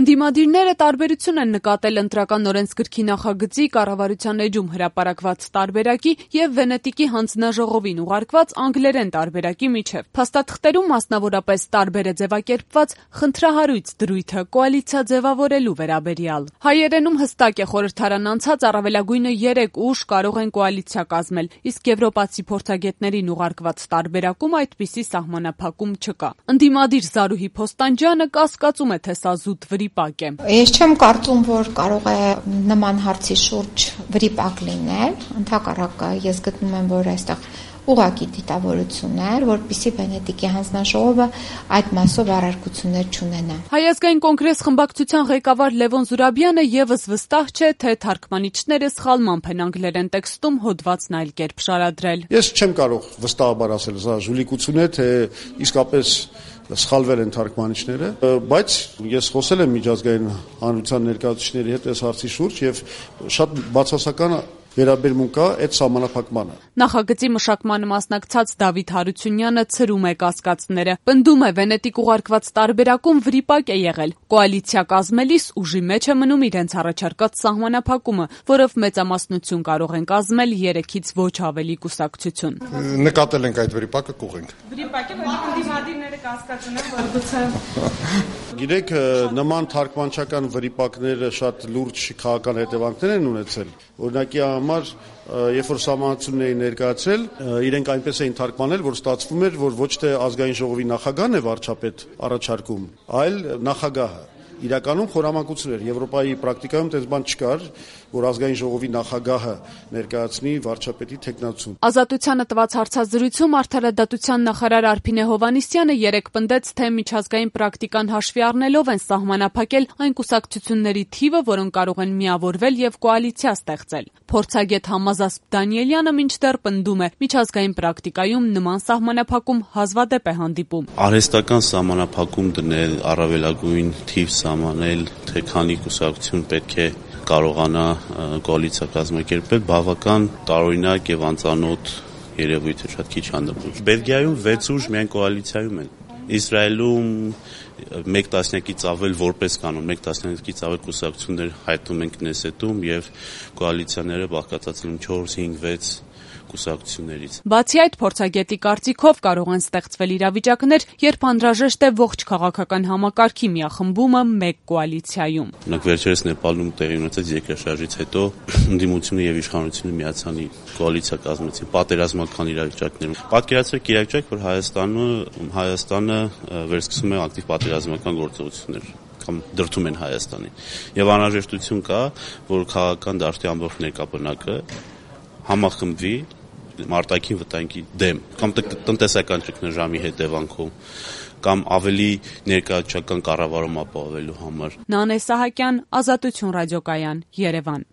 Ընդդիմադիրները տարբերություն են նկատել ընտրական օրենսգրքի նախագծի, կառավարության էջում հրապարակված տարբերակի և Վենետիկի հանձնաժողովին ուղարկված անգլերեն տարբերակի միջև։ Փաստաթղթերում մասնավորապես տարբեր է ձևակերպված խնդրահարույց դրույթը կոալիցիա ձևավորելու վերաբերյալ։ Հայերենում հստակ է խորհրդարան անցած առավելագույնը 3 ուժ կարող են կոալիցիա կազմել, իսկ եվրոպացի փորձագետներին ուղարկված տարբերակում այդպիսի սահմանափակում չկա։ Ընդդիմադիր Զարուհի Փոստանջյանը կասկածում է, թե սա զուտ վրիպակ է։ Ես չեմ կարծում, որ կարող է նման հարցի շուրջ վրիպակ լինել, ընդհակառակը ես գտնում եմ, որ այստեղ ուղղակի դիտավորություն է, որպեսզի Վենետիկի հանձնաժողովը այդ մասով առարկություններ չունենա։ Հայ ազգային կոնգրես խմբակցության ղեկավար Լևոն Զուրաբյանը եւս վստահ չէ, թե թարգմանիչները սխալմամբ են անգլերեն տեքստում հոդվածն այլ կերպ շարադրել։ Ես չեմ կարող վստահաբար ասել, սա ժուլիկություն է, թե իսկապես սխալվել են թարգմանիչները, բայց ես խոսել եմ միջազգային հանրության ներկայացուցիչների հետ այս հարցի շուրջ եւ շատ բացասական վերաբերմունք կա այդ սահմանափակմանը։ Նախագծի մշակմանը մասնակցած Դավիթ Հարությունյանը ցրում է կասկածները։ Պնդում է, Վենետիկ ուղարկված տարբերակում վրիպակ է եղել։ Կոալիցիա կազմելիս ուժի մեջ է մնում իրենց առաջարկած սահմանափակումը, որով մեծամասնություն կարող են կազմել 3-ից ոչ ավելի կուսակցություն։ Նկատել ենք այդ վրիպակը, կուղենք։ Վրիպակ է, որ ընդդիմադիրները կասկածում են, որ գուցե Գիտեք, նման թարգմանչական վրիպակները շատ լուրջ քաղաքական հետևանքներ են ունեցել։ Օրինակի համար, երբ որ սահմանությունն էին ներկայացրել, իրենք այնպես էին թարգմանել, որ ստացվում էր, որ ոչ թե ազգային ժողովի նախագահն է վարչապետ առաջարկում, այլ նախագահը։ Իրականում խորամանկություն էր։ Եվրոպայի պրակտիկայում այդպես բան չկար, որ ազգային ժողովի նախագահը ներկայացնի վարչապետի թեկնածուն։ Ազատությանը տված հարցազրույցում արդարադատության նախարար Արփինե Հովհաննիսյանը երեկ պնդեց, թե միջազգային պրակտիկան հաշվի առնելով են սահմանափակել այն կուսակցությունների թիվը, որոնք կարող են միավորվել եւ կոալիցիա ստեղծել։ Փորձագետ Համազասպ Դանիելյանը մինչդեռ պնդում է, միջազգային պրակտիկայում նման սահմանափակում հազվադեպ է հանդիպում։ Արհեստական սահմանափակում դնել, առավելագույն թիվ սահմանել, թե քանի կուսակցություն պետք է կարողանա կոալիցիա կազմակերպել, բավական տարօրինակ եւ անծանոթ երևույթ է, շատ քիչ հանդիպում։ Բելգիայում 6 ուժ միայն կոալիցիայում են։ Իսրայելում 1 տասնյակից ավել որպես կանոն 1 տասնյակից ավել կուսակցություններ հայտնում են Քնեսետում եւ կոալիցիաները բաղկացած են 4, 5, 6 կուսակցություններից։ Բացի այդ, փորձագետի կարծիքով կարող են ստեղծվել իրավիճակներ, երբ անհրաժեշտ է ողջ քաղաքական համակարգի միախմբումը մեկ կոալիցիայում։ Օրինակ վերջերս Նեպալում տեղի ունեցած երկրաշարժից հետո ընդդիմությունը եւ իշխանությունը միացան կոալիցիա կազմեցին պատերազմական իրավիճակներում։ Պատկերացրեք իրավիճակ, որ Հայաստանը վերսկսում է ակտիվ պատերազմական գործողություններ կամ դրդում են Հայաստանին։ Եվ անհրաժեշտություն կա, որ քաղաքական դաշտի ամբողջ ներկայապնակը համախմբվի մարտակին վտանգի դեմ կամ տնտեսական ճգնաժամի հետևանքով կամ ավելի ներկայացական կառավարում ապահովելու համար։ Նանե Սահակյան, Ազատություն ռադիոկայան, Երևան։